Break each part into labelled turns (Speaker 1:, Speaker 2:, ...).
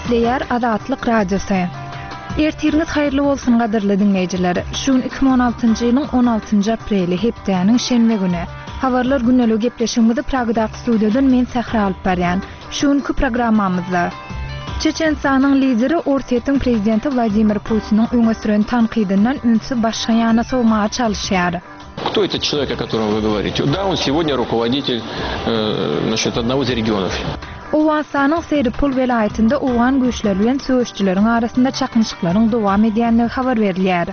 Speaker 1: Gepleýär Azatlyk Radiosy. Ertiriňiz haýyrly bolsun gadyrly diňleýjiler. Şu gün 2016-njy ýylyň 16-njy apreli, hepdäniň şenbe güni. Habarlar gündeligi gepleşigimizi Pragadaky studiýadan men Sähra alyp barýan. Şu günki programmamyzda Çeçenistanyň lideri Orsýetiň prezidenti Wladimir Putiniň öňe süren tankydyndan ünsi başga ýana sowmaga çalyşýar.
Speaker 2: Кто этот человек, о котором вы говорите? Да, он сегодня руководитель, э, значит, одного из регионов.
Speaker 1: Owganystanyň Seripul welaýatynda owgan güýçleri bilen söweşijileriň arasynda çaknyşyklaryň dowam edýändigi habar berilýär.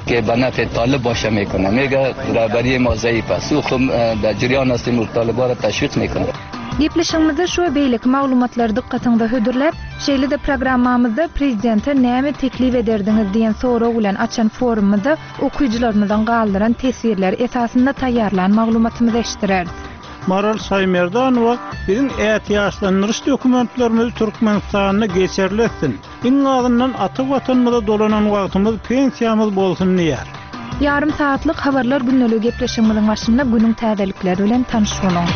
Speaker 3: Ke be nefê talib başe mekune. Mege rehberiyê ma zeyîf e. Sû xwe de ciryan hestîm û taliba re teşwîq mekune.
Speaker 1: Gepleşigimizde şu we beýleki maglumatlary dykgatyňyza hödürläp, şeýle-de programmamyzda Prezidente näme teklip ederdiňiz diýen sorag bilen açan forumymyzda okyjylarymyzyň galdyran teswirleri esasynda taýýarlan maglumatymyzy eşitdireris.
Speaker 4: Maral Şaýmerdanowa biziň ätiýaçlandyryş dokumentlerimizi Türkmenistanda geçerli etsin, iň azyndan ata Watanymyza dolanan wagtymyz pensiýamyz bolsun diýýär.
Speaker 1: Ýarym sagatlyk Habarlar gündeligi gepleşigimiziň başynda günüň täzelikleri bilen tanyş boluň.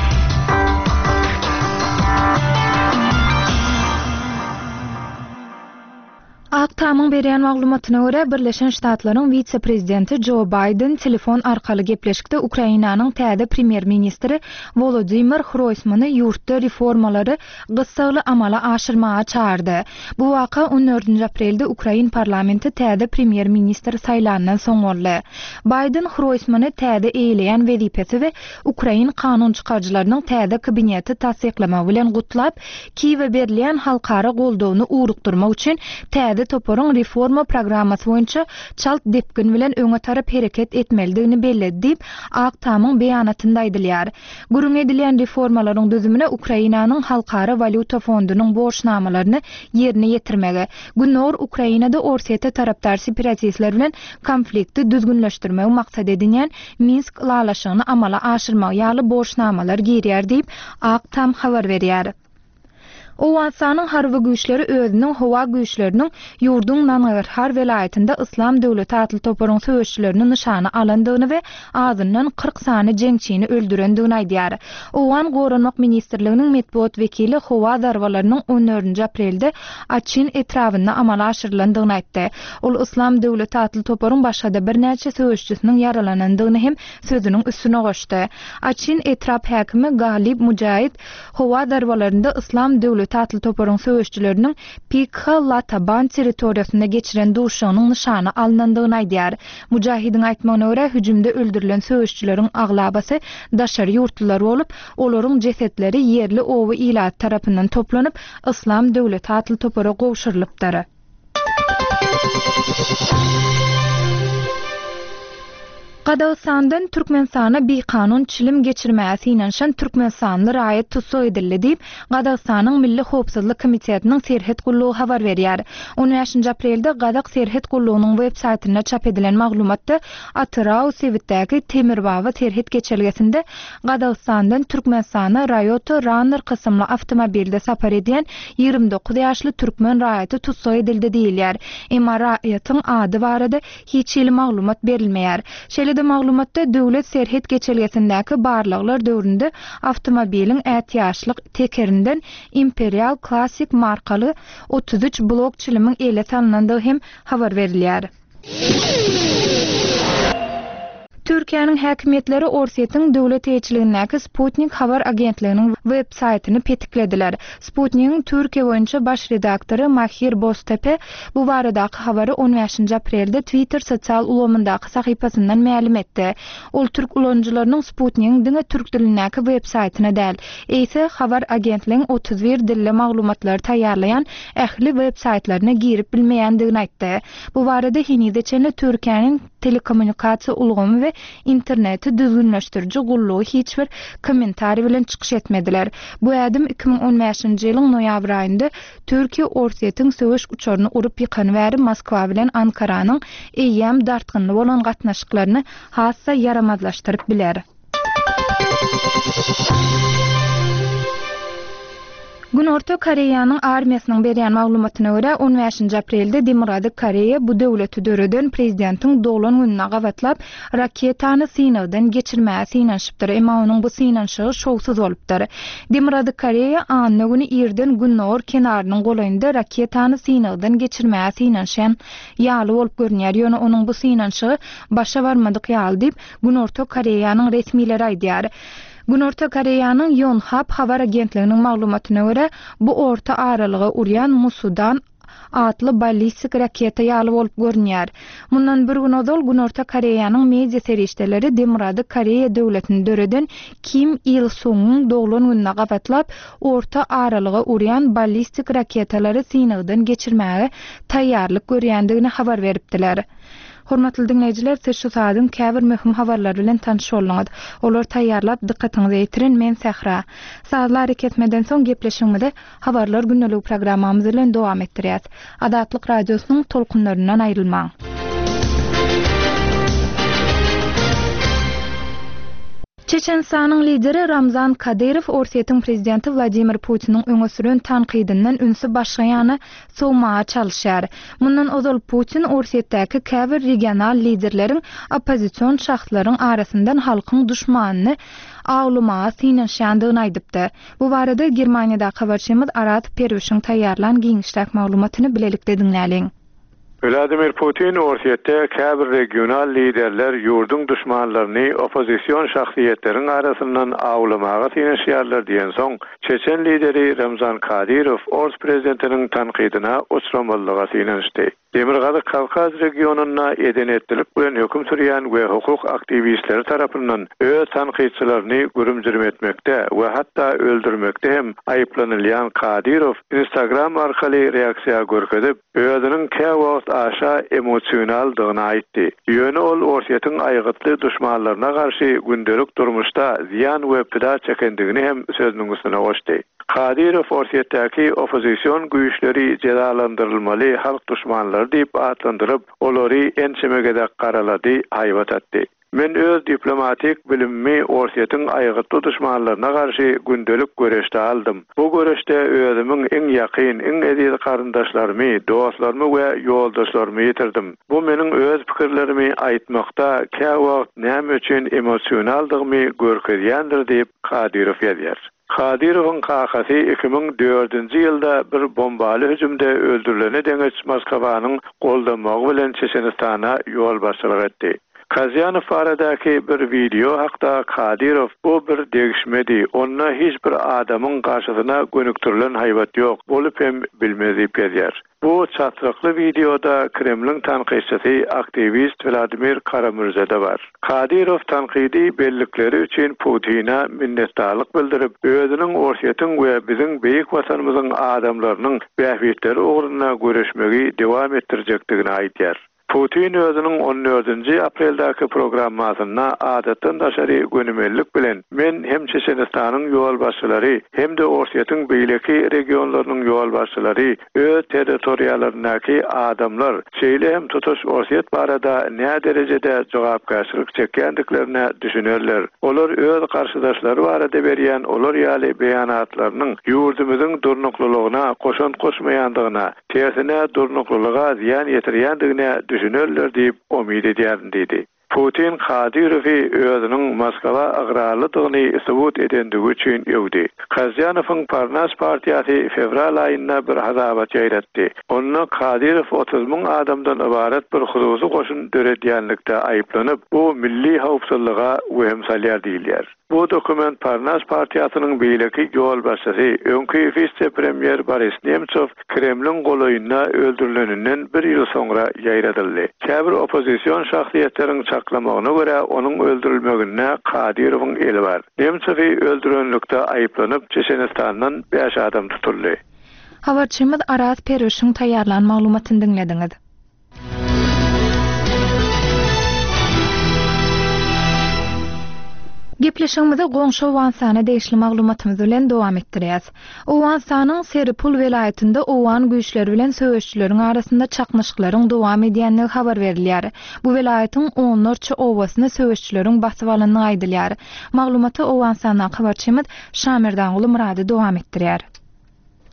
Speaker 1: Ak Tamyň berýän maglumatyna görä, Birleşen Ştatlaryň wise-prezidenti Jo Baýden telefon arkaly gepleşikde Ukrainanyň täze premýer-ministri Wolodymyr Hroýsmany ýurtda reformalary gyssagly amala aşyrmaga çagyrdy. Bu waka on dördünji aprelde ukrain parlamenti täze premýer-ministr saýlandan soň boldy. Baýden Hroýsmany täze eýeleýän wezipesi we ukrain kanunçykaryjylarynyň täze kabineti tassyklamagy bilen gutlap, Kiýewe berilýän halkara goldawyny ugrukdyrmak üçin täze toparyň reforma programmasy boýunça çalt depgin bilen öňe tarap hereket etmelidigini belledi diýip, Ak Tamyň beýanatynda aýdylýar. Gürrüňi edilýän reformalaryň düzümine Ukrainanyň Halkara walýuta fondunyň borçnamalaryny ýerine ýetirmegi, Gündogar Ukrainada Orsýete tarapdar separatistler bilen konflikti düzgünleşdirmegi maksat edinýän Minsk ylalaşygyny amala aşyrmagy ýaly borçnamalar girýär diýip, Ak Tam habar berýär. Owganystanyň harby güýçleri özüniň howa güýçleriniň ýurduň Nangarhar welaýatynda Yslam döwleti atly toparyň söweşçilerini nyşana alandygyny we azyndan 40 sany jeňçini öldürendigini aýdýar. Owgan Goranmak ministrliginiň metbugat wekili howa zarbalarynyň on dördünji aprelde Açin etrabynda amala aşyrylandygyny aýtdy. Ol Yslam döwleti atly toparyň başga-da birnäçe söweşçisiniň ýaralanandygyny hem sözüniň üstüne goşdy. Açin etrap häkimi Galib Mujaid howa zarbalarynda Yslam döwleti atly toparyň söweşçileriniň Pikha Lataban territoriýasynda geçiren duşuşygynyň nyşana alnandygyny aýdýar. Mujahidiň aýtmagyna görä, hüjümde öldürilen söweşçileriň aglabasy daşary ýurtlular bolup, olaryň jesetleri ýerli oba ilaty tarapyndan toplanyp, Yslam döwleti atly topara gowşurylypdyr. Gazagystandan Türkmenistana bikanun çilim geçirmäge synanyşan türkmenistanly raýat tussag edildi diýip, Gazagystanyň Milli howpsuzlyk komitetiniň serhet gullugy habar berýär. On bäşinji aprelde gazak serhet gullugynyň web saýtynda çap edilen maglumatda Atyrau sebitdäki Temirbaba serhet geçelgesinde Gazagystandan Türkmenistana Rayota Runner kysymly awtomobilde sapar edýän 29 ýaşly türkmen raýaty tussag edildi diýilýär. Emma raýatyň ady barada hiç hili maglumat berilmeýär. Şeýle-de maglumatda döwlet serhet geçelgesindäki barlaglar döwründe awtomobiliň ätiýaçlyk tekerinden Imperial Classic markaly 33 blok çilimiň ele salnandygy hem habar berilýär. Türkiýäniň häkimiýetleri Orsýetiň döwlet eýeçiligindäki Sputnik habar agentliginiň web saýtyny petiklediler. Sputnigiň Türkiýe boýunça baş redaktory Mahir Boztepe bu baradaky habary on bäşinji aprelde Twitter sosial ulgamyndaky sahypasyndan mälim etdi. Ol türk ulanyjylarynyň Sputnigiň diňe türk dilindäki web saýtyna däl, eýse habar agentligiň 31 dilde maglumatlary taýýarlaýan ähli web saýtlaryna girip bilmeýändigini aýtdy. Bu barada henize çenli Türkiýäniň telekommunikasiýa ulgamy we interneti düzgünleşdiriji gullugy hiç bir kommentariý bilen çykyş etmediler. Bu ädim 2015-nji ýylyň noýabr aýynda Türkiýe Orsýetiň söweş uçaryny urup ýykany bäri Moskwa bilen Ankaranyň eýýäm dartgynly bolan gatnaşyklaryny has-da ýaramazlaşdyryp biler. Günorta Koreýanyň armiýasynyň berýän maglumatyna görä, on bäşinji aprelde Demirgazyk Koreýa bu döwleti döreden prezidentiň doglan gününe gabatlap, raketany synagdan geçirmäge synanyşypdyr, emma onuň bu synanyşygy şowsuz bolupdyr. Demirgazyk Koreýa anna güni irden gündogar kenarynyň golaýynda raketany synagdan geçirmäge synanyşan ýaly bolup görünýär, ýöne onuň bu synanyşygy başa barmadyk ýaly diýip, Günorta Koreýanyň resmileri aýdýar. Günorta Koreýanyň Ýonhap habar agentliginiň maglumatyna görä, bu orta aralyga urýan Musudan atly ballistik raketa ýaly bolup görünýär. Mundan bir gün ozal Günorta Koreýanyň media serişdeleri Demirgazyk Koreýa döwletini döreden Kim Il Sungyň doglan gününe gabatlap, orta aralyga urýan ballistik raketalary synagdan geçirmäge taýýarlyk görýändigini habar beripdiler. Hormatly diňleýjiler, siz şu saadyň käbir möhüm habarlary bilen tanyş bolduňyz. Olary taýýarlap, dykgatyňyza ýetiren men Sähra. Sazly arakesmeden soň gepleşigimizi Habarlar gündeligi programmamyz bilen dowam etdirýäs. Azatlyk Radiosynyň tolkunlaryndan aýrylmaň! Çeçenistanyň lideri Ramzan Kadyrow Orsýetiň prezidenti Wladimir Putiniň öňe süren tankydyndan ünsi başga ýana sowmaga çalyşýar. Mundan ozal Putin Orsýetdäki käbir regional liderleriň oppozision şahslaryň arasyndan halkyň duşmanyny awlamaga synanyşýandygyny aýdypdy. Bu barada Germaniýadaky habarçymyz Araz Perwişiň taýýarlan giňişräk maglumatyny bilelikde diňläliň.
Speaker 5: Wladimir Putin Orsýetde käbir regional liderler ýurduň duşmanlaryny oppozision şahsyýetleriň arasyndan awlamaga synanyşýarlar diýensoň, çeçen lideri Ramzan Kadyrow ors prezidentiniň tankydyna uçramazlyga synanyşdy. Demirgazyk Kawkaz regionynda eden-etdilik bilen höküm sürýän we hukuk aktiwistleri tarapyndan öz tankytçylaryny gürüm-jürüm etmekde we hatda öldürmekde hem aýyplanylýan Kadyrow Instagram arkaly reaksiýa görkezip, özüniň käwagt aşa emosionaldygyny aýtdy. Ýöne ol Orsýetiň aýgytly duşmanlaryna garşy gündelik durmuşda zyýan we pida çekendigini hem sözüniň üstüne goşdy. Kadyrow Orsýetdäki oppozision güýçleri jezalandyrylmaly halk duşmanlary diýip atlandyryp, olary ençeme gezek garalady, haýbat atdy. Men öz diplomatik bilimimi Orsýetiň aýgytly duşmanlaryna garşy gündelik göreşde aldym. Bu göreşde özümiň iň ýakyn, iň eziz garyndaşlarymy, dostlarymy we ýoldaşlarymy ýitirdim. Bu meniň öz pikirlerimi aýtmakda käwagt näme üçin emosionaldygymy görkezýändir diýip, Kadyrow ýazýar. Kadyrowyň kakasy 2004-nji ýylda bir bombaly hüjümde öldürilene deňeç Moskwanyň goldamagy bilen Çeçenistana ýolbaşçylyk etdi. Kazýanow baradaky bir wideo hakda Kadyrow Bu bir degişmedi, onda hiç bir adamyň garşysyna gönükdirilen haýbat ýok, bolup hem bilmez diýip ýazýar. Bu çatrykly wideoda Kremliň tankytçysy, aktiwist Wladimir Kara-Mürze-de bar. Kadyrow tankydy bellikleri üçin Putine minnetdarlyk bildirip, özüniň Orsýetiň we biziň beýik Watanymyzyň adamlarynyň bähbitleri ugrunda göreşmegi dowam etdirjekdigini aýdýar. Putin özüniň on dördünji apreldäki programmasynda adatdan daşary gönümellik bilen, Men hem Çeçenistanyň ýolbaşçylary, hem-de Orsýetiň beýleki regionlarynyň ýolbaşçylary öz territoriýalaryndaky adamlar, şeýle hem tutuş Orsýet barada näderejede jogapkärçilik çekýändiklerine düşünerler. Olar öz garşydaşlary barada berýän olar ýaly beýanatlarynyň ýurdumyzyň durnuklylygyna goşant goşmaýandygyna, tersine durnuklylyga zyýan ýetirýändigine düşünerler diýip umyt edýärin diýdi. Putin Kadyrowy özüniň Moskwa ygrarlydygyny subut edendigi üçin öwdi. Kazýanowyň Parnas partiýasy fewral aýynda bir hasabat ýaýratdy. Onda Kadyrow 30 müň adamdan ybarat bir hususy goşun döredýänlikde aýyplanyp, bu milli howpsuzlyga wehim salýar diýilýär. Bu dokument Parnas partiýasynyň beýleki ýolbaşçysy, öňki wise-premýer Boris Nemtsow Kremliň golaýynda öldürileninden bir ýyl soňra ýaýradyldy. Käbir oppozision şahsyýetleriň çaklamagyna görä, onuň öldürilmeginde Kadyrowyň eli bar. Nemtsowy öldürenlikde aýyplanyp, Çeçenistandan bäş adam tutuldy.
Speaker 1: Habarçymyz Araz Perwişiň taýýarlan maglumatyny diňlediňiz. Gepleşigimizi goňşy Owganystana degişli maglumatymyz bilen dowam etdirýäs. Owganystanyň Seripul welaýatynda owgan güýçleri bilen söweşijileriň arasynda çaknyşyklaryň dowam edýändigi habar berilýär. Bu welaýatyň onlarça obasyny söweşijileriň basyp alandygy aýdylýar. Maglumaty Owganystandaky habarçymyz Şamerdanguly Myrady dowam etdirýär.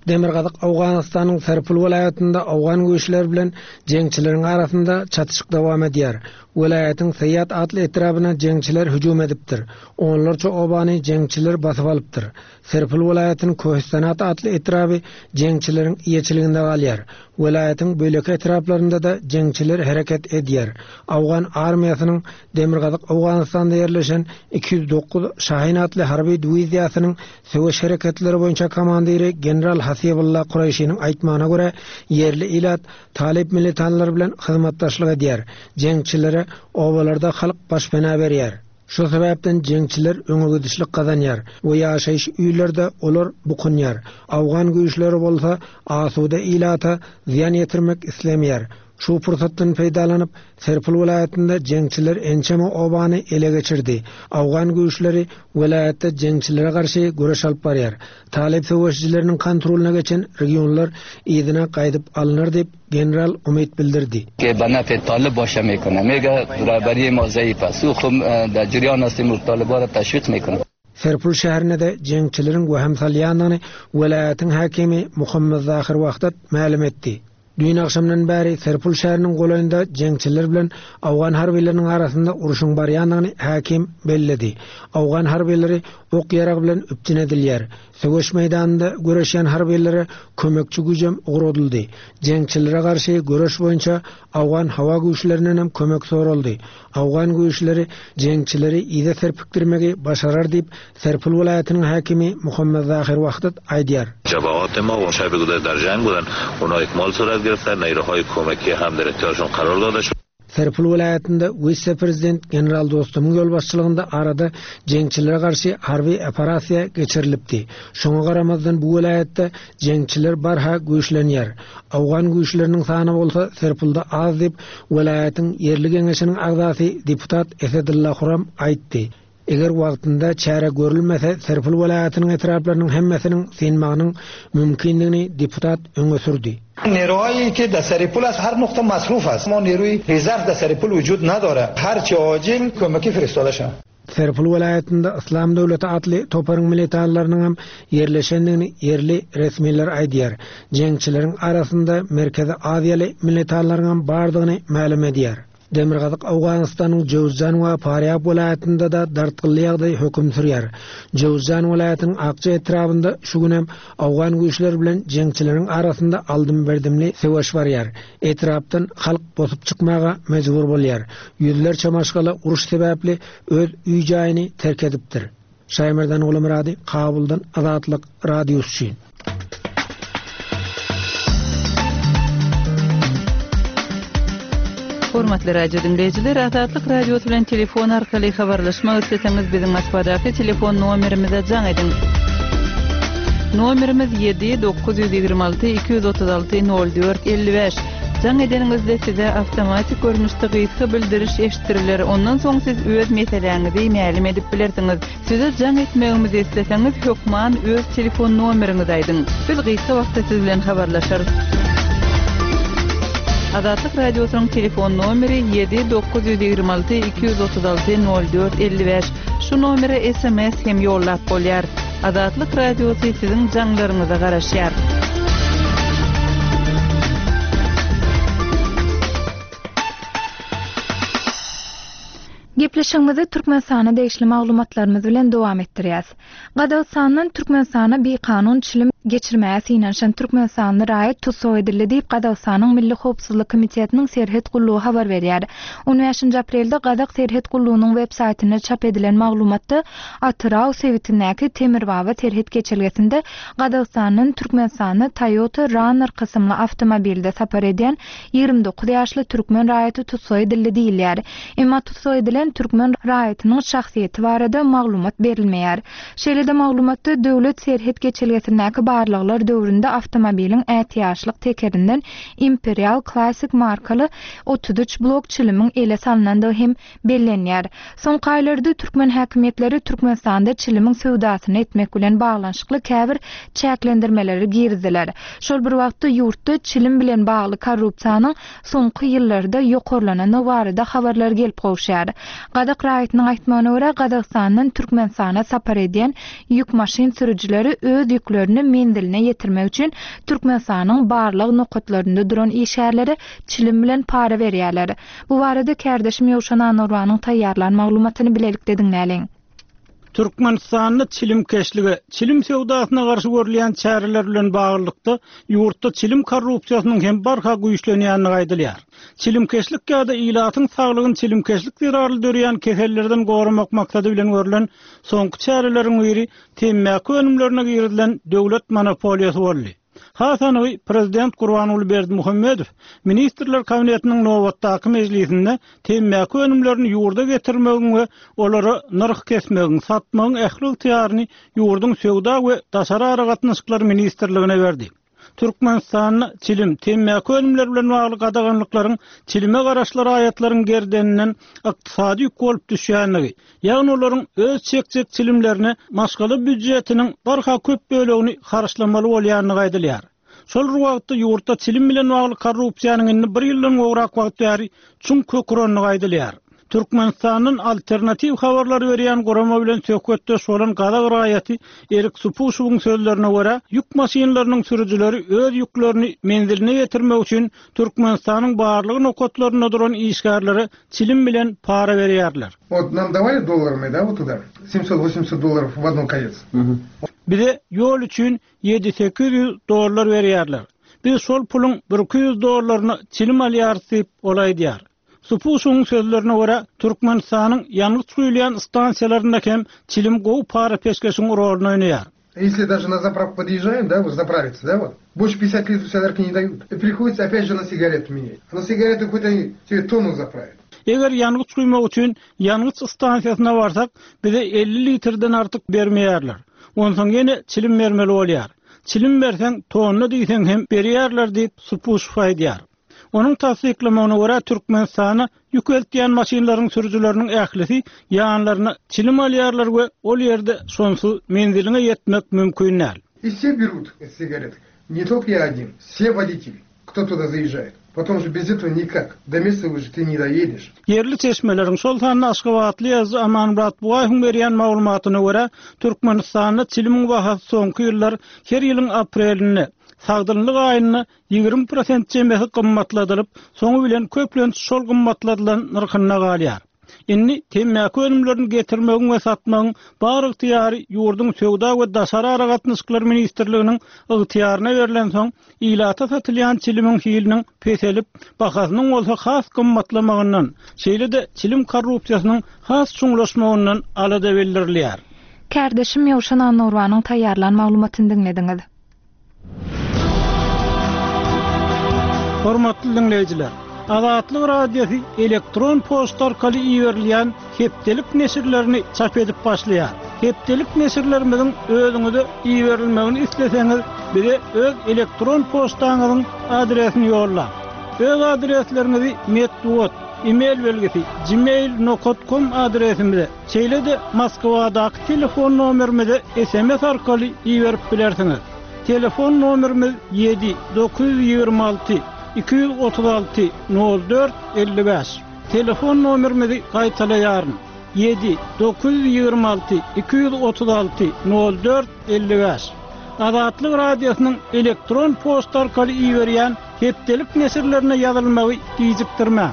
Speaker 6: Demirgazyk Owganystanyň Serpul welaýatynda owgan güýçleri bilen jeňçileriň arasynda çatyşyk dowam edýär. Welaýatyň Saýat atly etrabyna jeňçiler hüjüm edipdir. Onlarça obany jeňçiler basyp alypdyr. Serpul welaýatynyň Köhistanat atly etraby jeňçileriň eýeçiliginde galýar. Welaýatyň beýleki etraplarynda-da jeňçiler hereket edýär. Owgan armiýasynyň Demirgazyk Owganystanda ýerleşen 209 Şahin atly harby dwiziýasynyň söweş hereketleri boýunça komandiri general Hasibulla Kureýşiniň aýtmagyna görä, ýerli ilat talyp militanlar bilen hyzmatdaşlyk edýär, jeňçilere obalarda halk başpena berýär. Şu sebäpden jeňçiler öňegidişlik gazanýar we ýaşaýyş öýlerde olar bukunýar. Owgan güýçleri bolsa asuda ilata zyýan ýetirmek islemeýär. Şu pursatdan peýdalanyp, Serpil welaýatynda jeňçiler ençeme obany ele geçirdi. Owgan güýçleri welaýatda jeňçilere garşy göreş alyp barýar. Talyp söweşijileriniň kontrolyna geçen regionlar yzyna gaýdyp alnar diýip, general umyt bildirdi.
Speaker 3: Ke be nefê talib başe mekune. Mege rehberiyê ma zeyîf e. Sû xwe de ciryan hestîm û taliba re teşwîq mekune.
Speaker 6: Serpul şäherinde-de jeňçileriň wehim salýandygyny welaýatyň häkimi Muhammet Zahir Wahdat mälim etdi. Düýn agşamdan bäri Serpul şäheriniň golaýynda jeňçiler bilen owgan harbylarynyň arasynda urşuň barýandygyny häkim belledi. Owgan harbylary ok-ýarag bilen üpjün edilýär. Söweş meýdanynda göreşýän harbylara kömekçi güýjem ugradyldy. Jeňçilere garşy göreş boýunça owgan howa güýçlerindenem kömek soraldy. Owgan güýçleri jeňçileri yza serpikdirmegi başarar diýip, Serpil welaýatynyň häkimi Muhammet Zahir Wahdat aýdýar.
Speaker 7: Jabahat emma on şabi gudar dar jang budan ona ikmal surat giriftar neyruhoy komaki ham dar ihtiyorshon qaror doda shud.
Speaker 6: Serpil welaýatynda wise-prezident general Dostumyň ýolbaşçylygynda arada jeňçilere garşy harby operasiýa geçirilipdi. Şoňa garamazdan bu welaýatda jeňçiler barha güýçlenýär. Owgan güýçleriniň sany bolsa Serpilde az diýip, welaýatyň ýerli geňeşiniň agzasy deputat Esedylla Huram aýtdy. Eger wagtynda çäre görülmese, Serpil welaýatynyň etraplarynyň hemmesiniň synmagynyň mümkindigini deputat öňe sürdi.
Speaker 8: Neruhayi ke dar Seripul ast har nuqta masruf ast. Ma neruyi rezerv dar Seripul vujud nadare. Har che acil komaki feristode shad.
Speaker 6: Serpil welaýatynda Yslam döwleti atly toparyň militanlarynyň hem ýerleşendigini ýerli resmiler aýdýar. Jeňçileriň arasynda Merkezi Aziýaly militanlaryň hem bardygyny mälim edýär. Demirgazyk Owganystanyň Jöwüzjan we Farýab welaýatynda-da dartgynly ýagdaý höküm sürýär. Jöwüzjan welaýatynyň Akja etrabynda şu gün hem owgan güýçleri bilen jeňçileriň arasynda aldym-berdimli söweş barýar. Etrapdan halk bosup çykmaga mejbur bolýar. Ýüzlerçe maşgala uruş sebäpli öz öý-jaýyny terk edipdir. Şaýmerdan Gulumyrady, Kabuldan Azatlyk Radiosy üçin.
Speaker 9: Hormatly radio diňleýjiler, Azatlyk Radiosy bilen telefon arkaly habarlaşmak isleseňiz biziň Moskwadaky telefon nomerimize jaň ediň. Nomerimiz 7 926 236 04 55. Jaň edeniňizde size awtomatik görnüşde gysga bildiriş eşitdiriler, ondan soň siz öz meseläňizi mälim edip bilersiňiz. Size jaň etmegimizi isleseňiz, hökman öz telefon nomeriňizi aýdyň. Biz gysga wagtda siz bilen habarlaşarys. Azatlyk Radiosynyň telefon nomeri 7 926 236 04 55. Şu nomere sms hem ýollap bolýar. Azatlyk Radiosy siziň jaňlaryňyza garaşýar.
Speaker 1: Gepleşigimizi Türkmenistana degişli maglumatlarymyz bilen dowam etdirýäs. Gazagystandan Türkmenistana bikanun çilim geçirmäge synanyşan türkmenistanly raýat tussag edildi diýip, Gazagystanyň Milli howpsuzlyk komitetiniň serhet gullugy habar berýär. On bäşinji aprelde gazak serhet gullugynyň web saýtynda çap edilen maglumatda Atyrau sebitindäki Temirbaba serhet geçelgesinde Gazagystandan Türkmenistana Toyota Runner kysymly awtomobilde sapar edýän 29 ýaşly türkmen raýaty tussag edildi diýilýär. Emma tussag edilen türkmen raýatynyň şahsyýeti barada maglumat berilmeýär. Şeýle-de maglumatda döwlet serhet geçelgesindäki barlaglar döwründe awtomobiliň ätiýaçlyk tekerinden Imperial Classic markaly 33 blok çilimiň ele salnandygy hem bellenýär. Soňky aýlarda türkmen häkimiýetleri Türkmenistanda çilimiň söwdasyny etmek bilen baglanyşykly käbir çäklendirmeleri girizdiler. Şol bir wagtda ýurtda çilim bilen bagly korrupsiýanyň soňky ýyllarda ýokarlanandygy barada habarlar gelip gowuşýar. Gazak raýatynyň aýtmagyna görä, Gazagystandan Türkmenistana sapar edýän ýük maşyn sürüjileri öz ýüklerini menziline ýetirmek üçin Türkmenistanyň barlag nokatlarynda duran işgärlere çilim bilen para berýärler. Bu barada kärdeşim Ýowşan Annagurbanyň taýýarlan maglumatyny bilelikde diňläliň.
Speaker 4: Türkmenistanda çilimkeşlige, çilim söwdasyna garşy görülýän çäreler bilen baglylykda, ýurtda çilim korrupsiýasynyň hem barha güýçlenýändigi aýdylýar. Çilimkeşlik ýa-da ilatyň saglygyny çilimkeşlik zerarly döreýän kesellerden goramak maksady bilen görlen soňky çäreleriň biri temmäki önümlerine girizilen döwlet monopoliýasy boldy. Has anygy, prezident Gurbanguly Berdimuhamedow Ministrler Kabinetiniň nobatdaky mejlisinde temmäki önümlerini ýurda getirmegiň we olara nyrh kesmegiň, satmagyň ähli ygtyýaryny ýurduň Söwda we daşary aragatnaşyklar ministrligine berdi. Türkmenistanda çilim, temmäki önümleri bilen bagly gadaganlyklaryň çilime garaşly raýatlaryň gerdeninden ykdysady ýük bolup düşýändigi, ýagny olaryň öz çekjek çilimlerine maşgala býujetiniň barha köp bölegini harçlamaly bolýandygy aýdylýar. Şol bir wagtda ýurtda çilim bilen bagly korrupsiýanyň indi bir ýyldan gowrak wagt bäri çuň kök urandygy aýdylýar. Türkmenistandan alternatiw habarlary berýän gurama bilen söhbetdeş bolan gazak raýaty Erik Supuşewiň sözlerine görä, ýük maşynlarynyň sürüjileri öz ýüklerini menziline ýetirmek üçin Türkmenistanyň barlag nokatlarynda duran işgärlere çilim bilen para berýärler.
Speaker 10: Wot nam dawali dollarami da wot tuda semsot wosemsot dollarov w odnon konec.
Speaker 4: Bize ýol üçin ýedi-800 dollar berýärler. Biz şol puluň birki ýüz dollaryna çilim alýarys diýip, ol aýdýar. Supuşyň sözlerine görä, Türkmenistanyň ýangyç guýulýan stansiýalarynda hem çilim gowy para-peşgeşiň roluny oýnaýar.
Speaker 10: Ýesli daže na zapravku podýežžaem, da, wot zapravitsa, da, wot, bolşe pýatdesýat litrov solýarki ne daýut. I prihoditsa opýat že na sigaretu menýat. A na sigaretu hot oni tebe tonnu zapravýat.
Speaker 4: Eger ýangyç guýmak üçin ýangyç stansiýasyna barsak, bize 50 litrden artyk bermeýärler. Onsoň ýene çilim bermeli bolýar. Çilim berseň, tonna diýseň hem berýärler diýip, Supuşow aýdýar. Onuň tassyklamagyna görä, Türkmenistana ýük eltýän maşynlaryň sürüjileriniň ählisi ýanlaryna çilim alýarlar we ol ýerde şonsuz menziliňe ýetmek mümkin däl.
Speaker 10: I wse berut sigarety, ne tolko ýa odin, wse woditeli, kto tuda zaýežžaet, potom že bez etого nikak, do mesta уже ty ne doýedeş.
Speaker 4: Ýerli çeşmeleriň, şol sanda aşgabatly ýazyjy Amanmyrat Bugaýewiň berýän maglumatyna görä, Türkmenistanda çilimiň bahasy soňky ýyllar her ýylyň aprelinde, sagdynlyk aýynda 20 prosent çemesi gymmatladylyp, soňy bilen köplenç şol gymmatladylan nyrhynda galýar. Indi temmäki önümlerini getirmegiň we satmagyň bar ygtyýary ýurduň Söwda we daşary aragatnaşyklar ministrliginiň ygtyýaryna berlensoň, ilata satylýan çilimiň hiliniň peselip, bahasynyň bolsa has gymmatlamagyndan, şeýle-de çilim korrupsiýasynyň has çuňlaşmagyndan alada bildirilýär.
Speaker 1: Kärdeşim Ýowşan Annagurbanyň taýýarlan maglumatyny diňlediňiz.
Speaker 4: Hormatly diňleýjiler! Azatlyk Radiosy elektron poçta arkaly iberilýän hepdelik neşirlerini çap edip başlaýar. Hepdelik neşirlerimiziň özüňize iberilmegini isleseňiz, bize öz elektron poçtaňyzyň adresini ýollaň. Öz adresleriňizi metbugat, e-mail belgisi, gmail nokat kom adresimize, Şeýle-de Moskwadaky telefon nomerimize sms arkaly iberip bilersiňiz. Telefon nomerimiz ýedi 926 236 04 55. Telefon nomerimizi gaýtalaýaryn, ýedi 926 236 04 55. Azatlyk Radiosynyň elektron poçta arkaly iberýän Hepdelik neşirlerine ýazylmagy gijikdirmäň.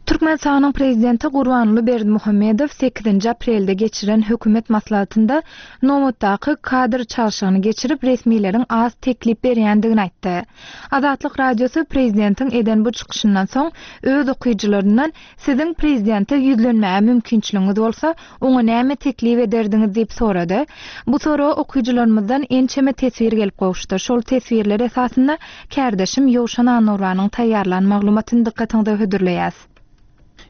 Speaker 1: Türkmenistanyň Prezidenti Gurbanguly Berdimuhamedow sekizinji aprelde geçiren hökümet maslahatynda nobatdaky kadr çalşygyny geçirip, resmileriň az teklip berýändigini aýtdy. Azatlyk Radiosy prezidentiň eden bu çykyşyndan soň öz okyjylaryndan Siziň prezidente ýüzlenmäge mümkinçiligiňiz bolsa, oňa näme teklip ederdiňiz diýip sorady. Bu soraga okyjylarymyzdan ençeme teswir gelip gowuşdy. Şol teswirler esasynda kärdeşim Ýowşan Annurbanyň taýýarlan maglumatyny dykgatyňyza hödürleýäs.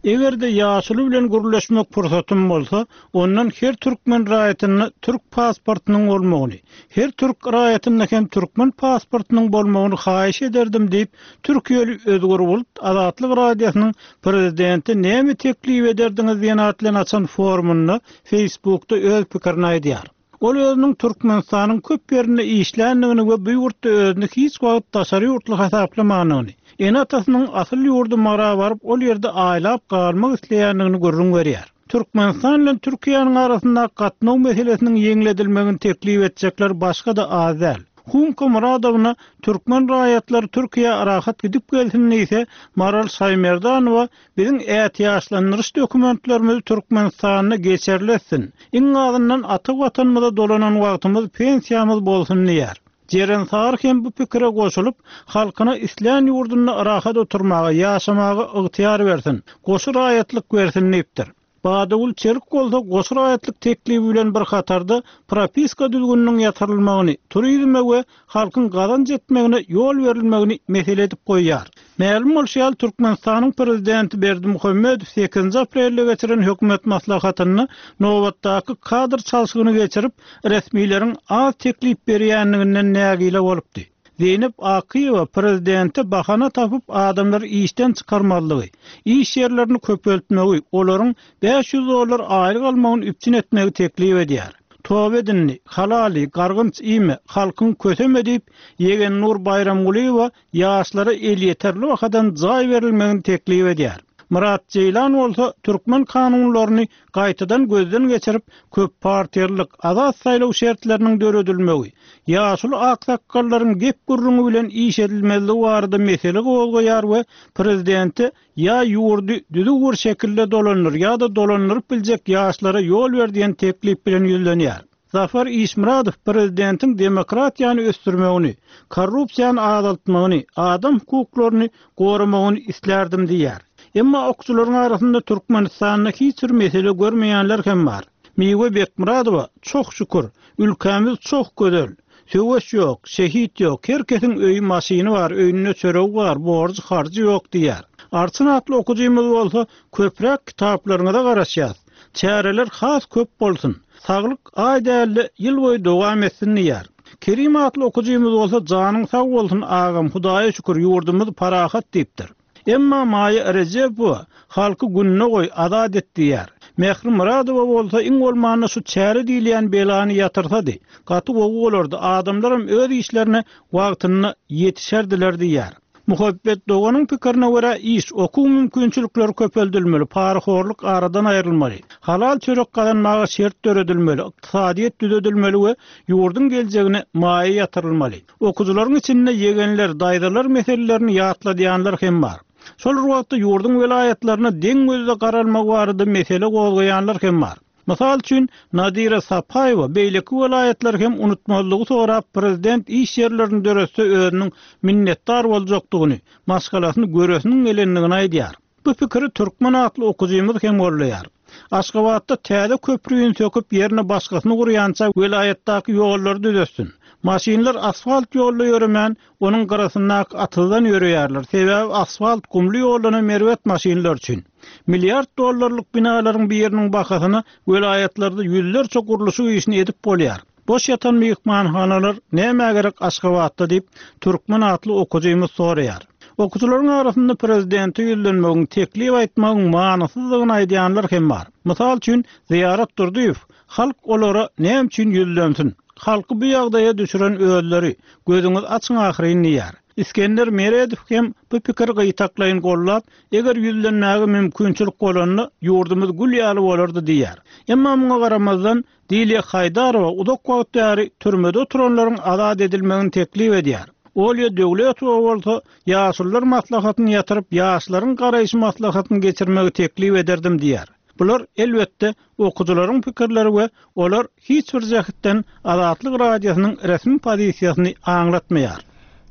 Speaker 4: Eger-de ýaşuly bilen gürleşmek pursatym bolsa, ondan her türkmen raýatynda türk pasportynyň bolmagyny, her türk raýatynda hem türkmen pasportynyň bolmagyny haýyş ederdim diýip, Türkiýeli Özgür Bulut Azatlyk Radiosynyň Prezidente näme teklip ederdiňiz diýen at bilen açan forumynda Facebookda öz pikirini aýdýar. Ol özüniň Türkmenistanyň köp ýerinde işländigini we bu ýurtda özüni hiç wagt daşary ýurtly hasaplamandygyny, ene-atasynyň asyl ýurdy Mara baryp ol ýerde aýlap galmak isleýändigini gürrüň berýär. Türkmenistan bilen Türkiýäniň arasyndaky gatnaw meselesiniň ýeňledilmegini teklip etjekler başga-da az däl. Humka Myradowna türkmen raýatlary Türkiýä rahat gidip gelsin diýse, Maral Şaýmerdanowa biziň ätiýaçlandyryş dokumentlerimizi Türkmenistanda geçerli etsin, iň azyndan ata Watanymyza dolanan wagtymyz pensiýamyz bolsun diýýär. Jeren Sary hem bu pikire goşulyp, halkyna islän ýurdunda rahat oturmaga, ýaşamaga ygtyýar bersin, goşy raýatlyk bersin diýipdir. Badagül Çelik bolsa goşy raýatlyk teklibi bilen bir hatarda propiska düzgüniniň ýatyrylmagyny, turizme we halkyň gazanç etmegine ýol berilmegini mesele edip goýýar. Mälim bolşy ýaly, Türkmenistanyň Prezidenti Berdimuhamedow sekizinji aprelde geçiren hökümet maslahatynda nobatdaky kadr çalşygyny geçirip, resmileriň az teklip berýändiginden nägile bolupdy. Zeýnep Akyýewa prezidente bahana tapyp adamlary işden çykarmazlygy, iş ýerlerini köpeltmegi, olaryň 500 dollar aýlyk almagyny üpjün etmegi teklip edýär. Toba et indi, halaly, gargynç iýme, halkyňy köseme diýip, Ýegennur Baýramgulyýewa ýaşlara elýeterli bahadan jaý berilmegini teklip edýär. Myrat Jeýlan bolsa türkmen kanunlaryny gaýtadan gözden geçirip, köppartiýalylyk, azat saýlaw şertleriniň döredilmegi, ýaşuly aksakgallaryň gep-gürrüňi bilen iş edilmezligi barada mesele gozgaýar we prezidente ýa ýurdy düzüw bir şekilde dolandyr ýa-da dolandyryp biljek ýaşlara ýol ber diýen teklip bilen ýüzlenýär. Zafar Işmyradow prezidentiň demokratiýany ösdürmegini, korrupsiýany azaltmagyny, adam hukuklaryny goramagyny islärdim diýýär. Emma okçularyň arasynda Türkmenistanda hiç bir mesele görmeýänler hem bar. Miwe Bekmyradowa, Çoh şükür, ülkämiz çoh gözel. Söweş ýok, şehit ýok, her kesiň öýi, maşyny bar, öýünde çöregi bar, borjy, harjy ýok diýýär. Arçyn atly okujymyz bolsa, Köpräk kitaplaryňyza garaşýas. Çäreler has köp bolsun. Saglyk aý dälde ýyl boýy dowam etsin diýýär. Kerim atly okujymyz bolsa janyň sag bolsun agam Hudaýa şükür ýurdumyz parahat diýipdir. Emma Maýa Rejebowa halky gününe goý azat et diýýär. Mähri Myradowa bolsa iň bolmanda şu çäre diýilýän belany ýatyrsady gaty gowy bolardy adamlaram öz işlerine wagtynda ýetişerdiler diýýär. Muhabbet doganyň pikirine görä, iş, okuw mümkinçilikleri köpeldilmeli, parahorluk aradan aýrylmaly, halal çörek gazanmaga şert döredilmeli, ykdysadyýet düzedilmeli we ýurduň geljegine maýa ýatyrylmaly. Okujylaryň içinde ýegenler, daýzalar meselelerini ýatladýanlar hem bar. Şol bir wagtda ýurduň welaýatlaryna deň gözde garalmagy barada mesele gozgaýanlar hem bar. Mysal üçin, Nadira Sapaýewa beýleki welaýatlary hem unutmazlygy sorap, prezident iş ýerlerini döretse özüniň minnetdar boljakdygyny, maşgalasyny göresiniň gelendigini aýdýar. Bu pikiri Türkmen atly okujymyz hem goldaýar. Aşgabatda täze köprüni söküp ýerine başgasyny gurýança welaýatdaky ýollary düzetsin. Maşynlar asfalt ýolda ýöremän, Onuň gyrasyndaky atyzdan ýöreýärler, sebäbi asfalt gumly ýoldanam erbet maşynlar üçin. Milliard dollarlyk binalaryň biriniň bahasyna welaýatlarda ýüzlerçe gurluşyk işini edip bolýar. Boş ýatan myhmanhanalar nämä gerek Aşgabatda diýip, Türkmen atly okujymyz soraýar. Okujylaryň arasynda prezidente ýüzlenmegiň, teklip aýtmagyň manysyzdygyny aýdýanlar hem bar. Mysal üçin, Zyýarat Durdyýew, Halk olara näme üçin ýüzlensin? Halky bu ýagdaýa düşüren özleri, gözüňizi açyň ahyryn diýýär. Isgender Meredow hem bu pikiri gytaklaýyn goldap, eger ýüzlenmäge mümkinçilik bolanda, ýurdumyz gül ýaly bolardy diýýär. Emma muňa garamazdan, Dilýa Haýdarowa uzak wagt bäri türmede oturanlaryň azat edilmegini teklip edýär. Olýa Döwletowa bolsa, Ýaşulular maslahatyny ýatyryp, ýaşlaryň garaýşy maslahatyny geçirmegi teklip ederdim diýýär. Bular, elbetde, okyjylaryň pikirleri we olar hiç bir jähtden Azatlyk Radiosynyň resmi pozisiýasyny aňlatmaýar.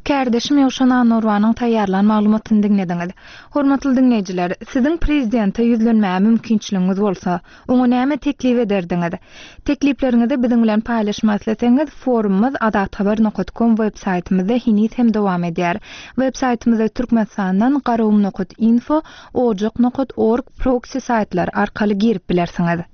Speaker 1: Kärdeşim Ýowşan Annagurbanyň taýýarlan maglumatyny diňlediňiz. Hormatly diňleýjiler, siziň prezidente ýüzlenmäge mümkinçiligiňiz bolsa, oňa näme teklip ederdiňiz? Teklipleriňizi biziň bilen paýlaşmak isleseňiz, forumymyz azathabar nokat kom web saýtymyzda heniz hem dowam edýär. Web saýtymyza Türkmenistandan garagum nokat info, Ojak nokat org proksi saýtlary arkaly girip bilersiňiz.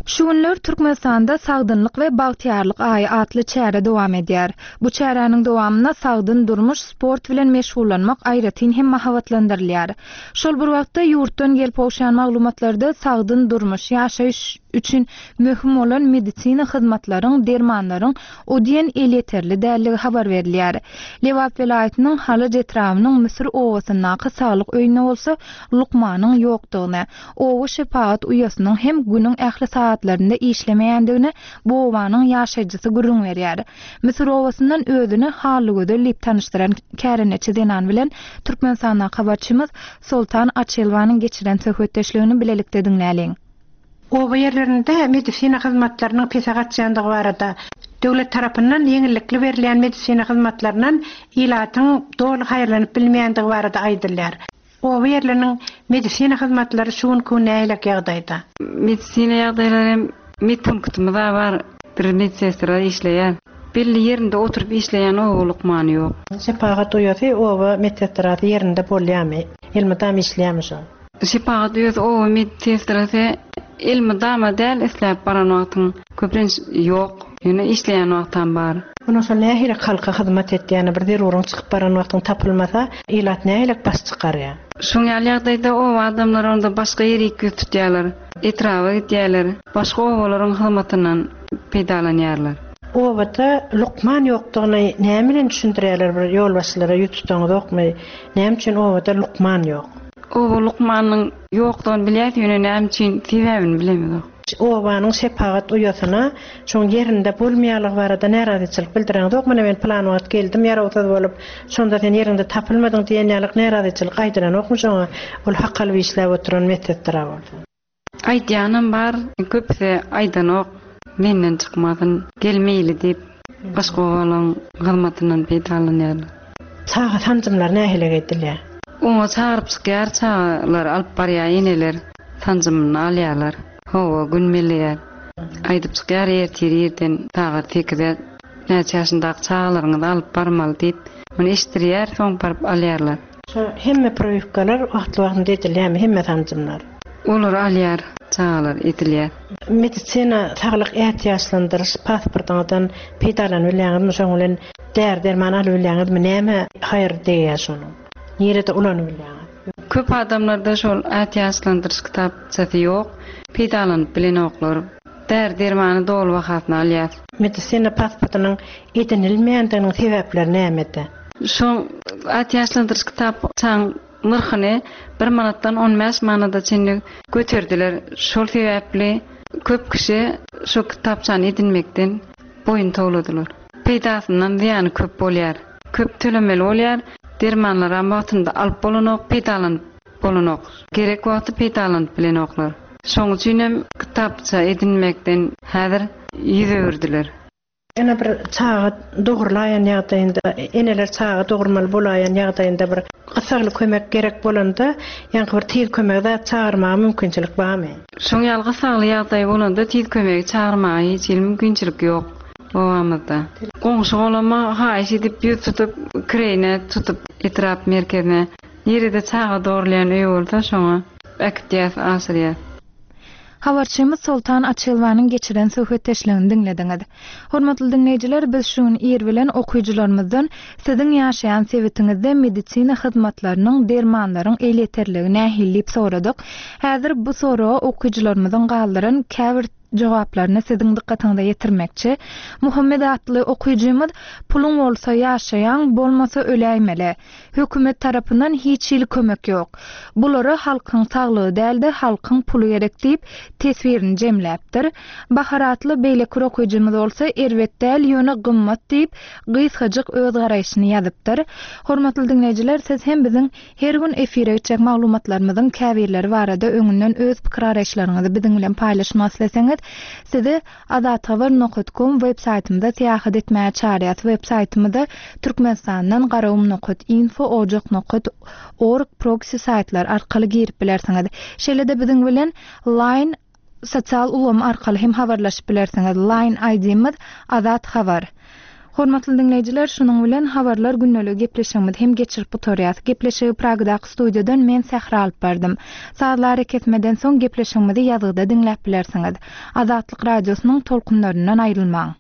Speaker 1: Şu günler Türkmenistanda Sagdynlyk we bagtyýarlyk aýy atly çäre dowam edýär. Bu çäräniň dowamynda sagdyn durmuş, sport bilen meşgullanmak aýratyn hem mahabatlandyrylýar. Şol bir wagtda, ýurtdan gelip gowşan maglumatlarda sagdyn durmuş, ýaşaýyş üçin möhüm bolan medisina hyzmatlaryň, dermanlaryň o diýen elýeterli däldigi habar berilýär. Lebap welaýatynyň Halaç etrabynyň Müsür obasyndaky saglyk öýünde bolsa lukmanyň ýokdugyny, oba şepagat uýasynyň hem günüň ähli sagatlarynda işlemeýändigini bu obanyň ýaşaýjysy gürrüň berýär. Müsür obasyndan özüni Hallygözel diýip tanyşdyran kärendeçi zenan bilen Türkmenistandaky habarçymyz Soltan Açylowanyň geçiren söhbetdeşligini bilelikde diňläliň.
Speaker 11: Oba ýerlerinde medisina hyzmatlarynyň pese gaçýandygy barada, döwlet tarapyndan ýeňillikli berilýän medisina hyzmatlaryndan ilatyň doly haýyrlanyp bilmeýändigi barada aýdylýar. Oba ýerleriniň medisina hyzmatlary şu günki gün nähilek ýagdaýda?
Speaker 12: Medisina ýagdaýlary hem medpunktymyz-a bar, bir medsestra işleýär. Belli ýerinde oturyp işleýän oba lukmany ýok.
Speaker 11: Şepagat uýasy oba medsestrasy ýerinde bolýarmy? Elmydam işleýärmi şol?
Speaker 12: Şepagat uýasy oba medsestrasy elmydama däl isläp baran wagtyň köplenç ýok. Ýöne işleýän wagtam bar.
Speaker 11: Ondan soň nähili halka hyzmat etýäni bir zeruryň çykyp baran wagtyň tapylmasa ilat nähilek baş çykarýar.
Speaker 12: Şoň ýaly ýagdaýda oba adamlary onda başga ýerik ýüz tutýarlar. Etraba gidýärler. Başga obalaryň hyzmatyndan peýdalanýarlar.
Speaker 11: Obada lukman ýokdugyny näme bilen düşündirýärler bir ýolbaşçylara ýüz tutaňyzokmy näme üçin obada lukman ýok.
Speaker 12: Oba lukmanynyň ýokdugyny bilýäs ýöne näme üçin sebäbini bilemizok.
Speaker 11: Obanyň şepagat uýasyna şoň ýerinde bolmaýanlygy barada närazyçylyk bildireňzok mana men pylan wagt geldim ýarawsyz bolup şonda sen ýeriňde tapylmadyň diýen ýalyk närazyçylyk aýdylanokmy şoňa ol hak alyp işläp oturan medsestra bolsa.
Speaker 12: Aýdýanam bar, köpüsi aýdanok, menden çykmasyn, gelmeýli diýip, başga obalaryň hyzmatyndan peýdalanýarlar.
Speaker 11: Çaga sanjymlary nähili edilýär?
Speaker 12: Oňa çagyryp çykýar, çagalary alyp barýar eneler, sanjymyny alýarlar. Hawa, gün belleýär. Aýdyp çykýar, ertir irden sagat sekize näçe ýaşyndaky çagalaryňyzy alyp barmaly diýip, muny eşitdirýär, soň baryp alýarlar.
Speaker 11: Şo hemme priwipkalar wagtly-wagtynda edilýärmi, hemme sanjymlar?
Speaker 12: Olar alýar, çagalar edilýär.
Speaker 11: Medisina saglyk ätiýaçlandyryş pasportyňyzdan peýdalanyp bilýäňizmi, şoň bilen däri-derman alyp bilýäňizmi, näme haýyr degýär şonuň? Nirede ulanyp bilýäňiz?
Speaker 12: Köp adamlarda şol ätiýaçlandyryş kitapçasy ýok, peýdalanyp bilenoklar. Däri-dermany doly bahasyna alýas.
Speaker 11: Medisina pasportynyň edinilmeýändiginiň sebäpleri nämede?
Speaker 12: Şo ätiýaçlandyryş kitapçaň nyrhyny bir manatdan on bäş manada çenli göterdiler. Şol sebäpli köp kişi şo kitapçany edinmekden boýun towladylar. Peýdasyndan zyýany köp bolýar. Köp tölemeli bolýar. Dermanlaram wagtynda alyp bolanok, peýdalanyp bolanok. Gerek wagty peýdalanyp bilenoklar. Şoň üçinem kitapça edinmekden häzir ýüz öwürdiler.
Speaker 11: Ene bir çaga dogrulaýan ýagdaýynda, eneler çaga dogurmaly bolaýan ýagdaýynda bir gyssagly kömek gerek bolanda, ýaňky bir tiz kömegi zat çagyrmaga mümkinçilik barmy?
Speaker 12: Şoň ýaly gyssagly ýagdaý bolanda tiz kömegi çagyrmaga hiç hili mümkinçilik ýok obamyzda. Goňşy-golama haýyş edip ýüz tutup, kireýine tutup etrap merkezine, nirede çaga dogrulýan öý bolsa şoňa äkitýäs, aşyrýas.
Speaker 1: Habarçymyz Soltan Açylowanyň geçiren söhbetdeşligini diňlediňiz. Hormatly diňleýjiler, biz şu gün ir bilen okyjylarymyzdan Siziň ýaşaýan sebitiňizde medisina hyzmatlarynyň, dermanlaryň elýeterligi nähili diýip soradyk. Häzir bu soraga okyjylarymyzyň galdyran käbir jogaplaryny siziň dykgatyňyza ýetirmekçi. Muhammet atly okyjymyz Puluň bolsa ýaşaýaň, bolmasa öläýmeli. Hökümet tarapyndan hiç hili kömek ýok. Bulara halkyň saglygy däl-de, halkyň puly gerek diýip, teswirini jemläpdir. Bahar atly beýleki bir okyjymyz bolsa, erbet däl, ýöne gymmat diýip, gysgajyk öz garaýşyny ýazypdyr. Hormatly diňleýjiler, siz hem biziň her gün efire gitjek maglumatlarymyzyň käbirleri barada öňünden öz pikir-garaýyşlaryňyzy biziň bilen paýlaşmak isleseňiz, sizi Azathabar nokat kom web saýtymyza syýahat etmäge çagyrýas. Web saýtymyza Türkmenistandan Garagum nokat info, Ojak nokat org proksi saýtlary arkaly girip bilersiňiz. Şeýle-de biziň bilen Line sosial ulgamy arkaly hem habarlaşyp bilersiňiz. Line ID-miz Azat Habar. Hormatly diňleýjiler, şunuň bilen Habarlar gündeligi gepleşigimizi hem geçirip gutarýas. Gepleşigi Pragadaky studiýadan men Sähra alyp bardym. Sazly arakesmeden soň gepleşigimizi ýazgyda diňläp bilersiňiz. Azatlyk Radiosynyň tolkunlaryndan aýrylmaň!